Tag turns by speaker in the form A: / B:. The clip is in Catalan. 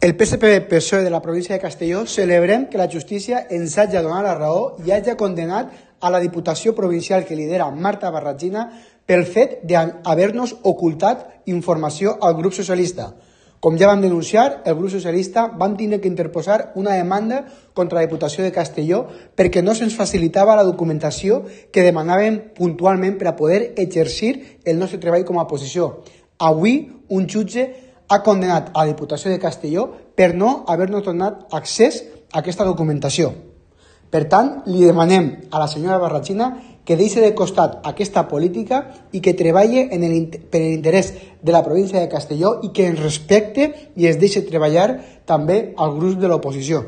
A: El PSPV-PSOE de la província de Castelló celebrem que la justícia ens hagi donat la raó i hagi condenat a la Diputació Provincial que lidera Marta Barragina pel fet d'haver-nos ocultat informació al grup socialista. Com ja vam denunciar, el grup socialista van tenir que interposar una demanda contra la Diputació de Castelló perquè no se'ns facilitava la documentació que demanàvem puntualment per a poder exercir el nostre treball com a oposició. Avui, un jutge ha condenat a la Diputació de Castelló per no haver-nos donat accés a aquesta documentació. Per tant, li demanem a la senyora Barragina que deixi de costat aquesta política i que treballi per l'interès de la província de Castelló i que ens respecte i es deixi treballar també al grup de l'oposició.